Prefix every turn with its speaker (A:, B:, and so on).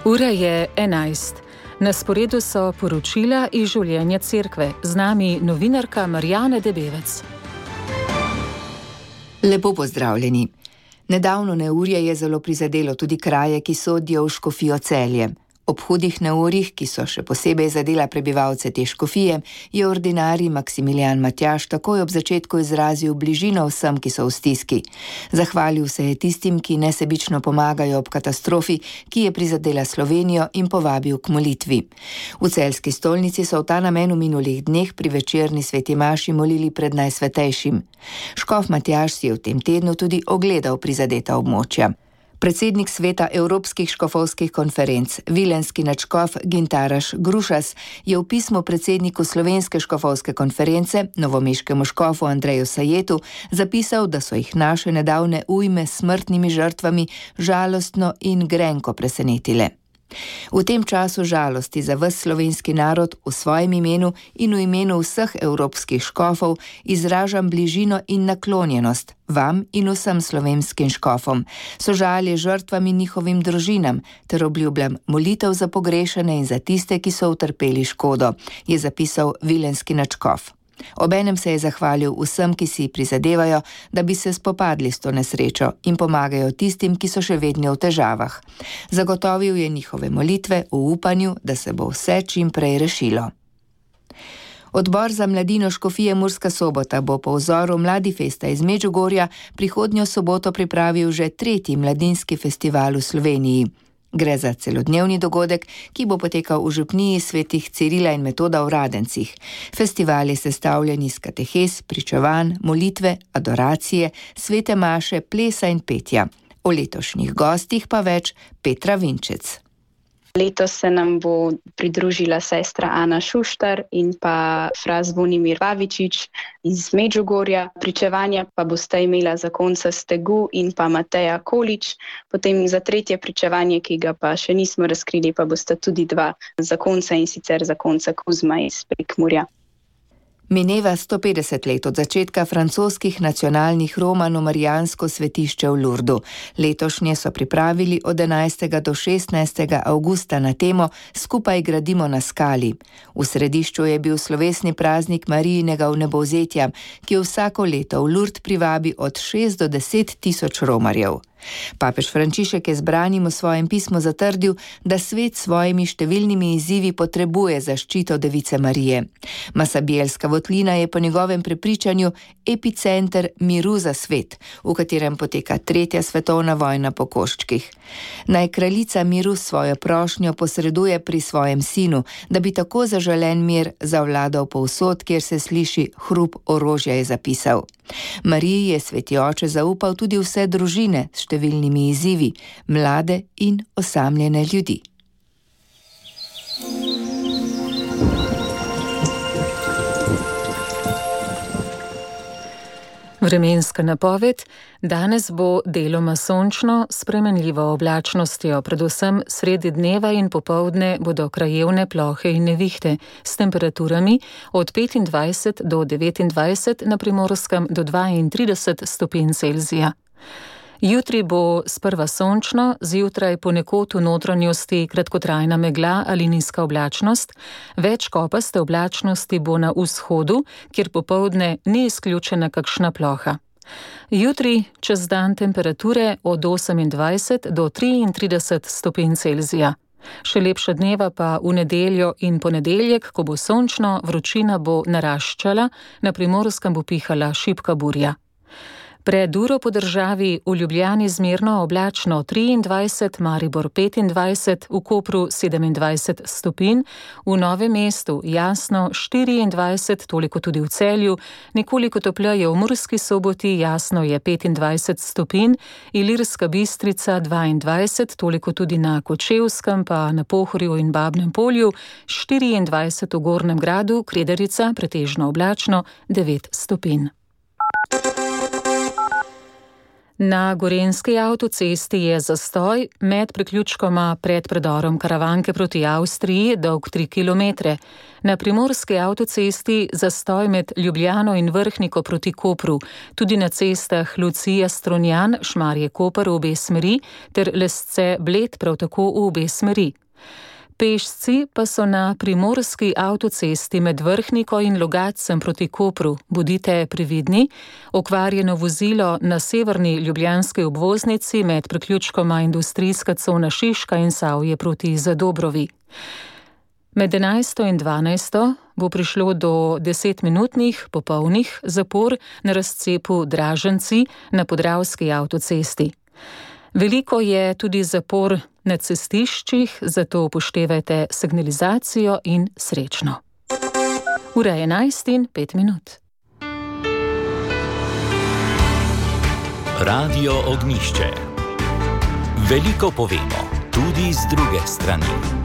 A: Ura je 11. Na sporedu so poročila iz življenja cerkve. Z nami novinarka Marjana Debevec.
B: Lepo pozdravljeni. Nedavno neurje je zelo prizadelo tudi kraje, ki sodijo v Škofijo Celje. Ob hudih neurjih, ki so še posebej zadela prebivalce te škofije, je ordinarij Maksimilijan Matjaž takoj ob začetku izrazil bližino vsem, ki so v stiski. Zahvalil se je tistim, ki nesebično pomagajo ob katastrofi, ki je prizadela Slovenijo, in povabil k molitvi. V celjski stolnici so v ta namen v minulih dneh pri večerni sveti maši molili pred Najsvetejšim. Škof Matjaž si je v tem tednu tudi ogledal prizadeta območja. Predsednik sveta Evropskih škofovskih konferenc, vilenski nadškof Gintaras Grušas, je v pismu predsedniku Slovenske škofovske konference, novomeškemu škofu Andreju Sajetu, zapisal, da so jih naše nedavne ujme s smrtnimi žrtvami žalostno in grenko presenetile. V tem času žalosti za ves slovenski narod v svojem imenu in v imenu vseh evropskih škofov izražam bližino in naklonjenost vam in vsem slovenskim škofom, sožalje žrtvam in njihovim družinam ter obljubljam molitev za pogrešane in za tiste, ki so utrpeli škodo, je zapisal vilenski nadškof. Obenem se je zahvalil vsem, ki si prizadevajo, da bi se spopadli s to nesrečo in pomagajo tistim, ki so še vedno v težavah. Zagotovil je njihove molitve v upanju, da se bo vse čim prej rešilo. Odbor za mladino Škofije Murska Sobota bo po vzoru Mladifesta iz Medžugorja prihodnjo soboto pripravil že 3. mladinski festival v Sloveniji. Gre za celodnevni dogodek, ki bo potekal v župniji svetih Cirila in Metoda v Radencih. Festival je sestavljen iz katehes, pričevanj, molitve, adoracije, svete maše, plesa in petja. O letošnjih gostih pa več Petra Vinčec.
C: Letos se nam bo pridružila sestra Ana Šuštar in pa fra Zvonimir Pavičič iz Medžugorja. Pričevanja pa bosta imela zakonca Stegu in pa Mateja Količ. Potem za tretje pričevanje, ki ga pa še nismo razkrili, pa bosta tudi 2 zakonca, in sicer zakonca Kuzma iz Prekmurja.
B: Mineva 150 let od začetka francoskih nacionalnih romano-marijansko svetišče v Lurdu. Letošnje so pripravili od 11. do 16. avgusta na temo Skupaj gradimo na skali. V središču je bil slovesni praznik Marijinega vnebovzetja, ki vsako leto v Lurd privabi od 6 do 10 tisoč romarjev. Papež Frančišek je zbranim v svojem pismu zatrdil, da svet s svojimi številnimi izzivi potrebuje zaščito Device Marije. Masabjelska votlina je po njegovem prepričanju epicenter miru za svet, v katerem poteka 3. svetovna vojna po koščkih. Naj kraljica miru svojo prošnjo posreduje pri svojem sinu, da bi tako zaželen mir zavladal povsod, kjer se sliši hrup orožja, je zapisal. Mariji je sveti oče zaupal tudi vse družine s številnimi izzivi, mlade in osamljene ljudi.
A: Vremenska napoved. Danes bo deloma sončno, s spremenljivo oblačnostjo, predvsem sredi dneva in popoldne bodo krajevne plohe in nevihte s temperaturami od 25 do 29, na Primorskem do 32 stopinj Celzija. Jutri bo sprva sončno, zjutraj ponekod v notranjosti kratkotrajna megla ali nizka oblačnost, več kopaste oblačnosti bo na vzhodu, kjer popoldne ni izključena kakšna ploha. Jutri čez dan temperature od 28 do 33 stopinj Celzija. Še lepša dneva pa v nedeljo in ponedeljek, ko bo sončno, vročina bo naraščala, na Primorskem bo pihala šibka burja. Pred uro po državi v Ljubljani zmerno oblačno 23, Maribor 25, v Kopru 27 stopinj, v Novem mestu jasno 24, toliko tudi v Celju, nekoliko topleje v Murski Soboti, jasno je 25 stopinj, Ilirska Bistrica 22, toliko tudi na Kočevskem, pa na Pohorju in Babnem Polju, 24 v Gornjem Gradu, Kredarica pretežno oblačno 9 stopinj. Na gorenjski avtocesti je zastoj med priključkoma pred predorom Karavanke proti Avstriji dolg 3 km. Na primorski avtocesti zastoj med Ljubljano in Vrhniko proti Kopru, tudi na cestah Lucija-Strunjan, Šmarje-Koper v obe smeri ter Lesce-Bled prav tako v obe smeri. Pešci pa so na primorski avtocesti med Vrhniko in Logatcem proti Kopru. Bodite previdni, okvarjeno vozilo na severni ljubljanski obvoznici med priključkoma industrijska cona Šiška in Savje proti Zadobrovi. Med 11. in 12. bo prišlo do 10-minutnih popolnih zapor na razcepu Draženci na Podravski avtocesti. Veliko je tudi zapor na cestiščih, zato upoštevajte signalizacijo in srečno. Ura je 11:05.
D: Radio Ognjišče. Veliko povemo, tudi z druge strani.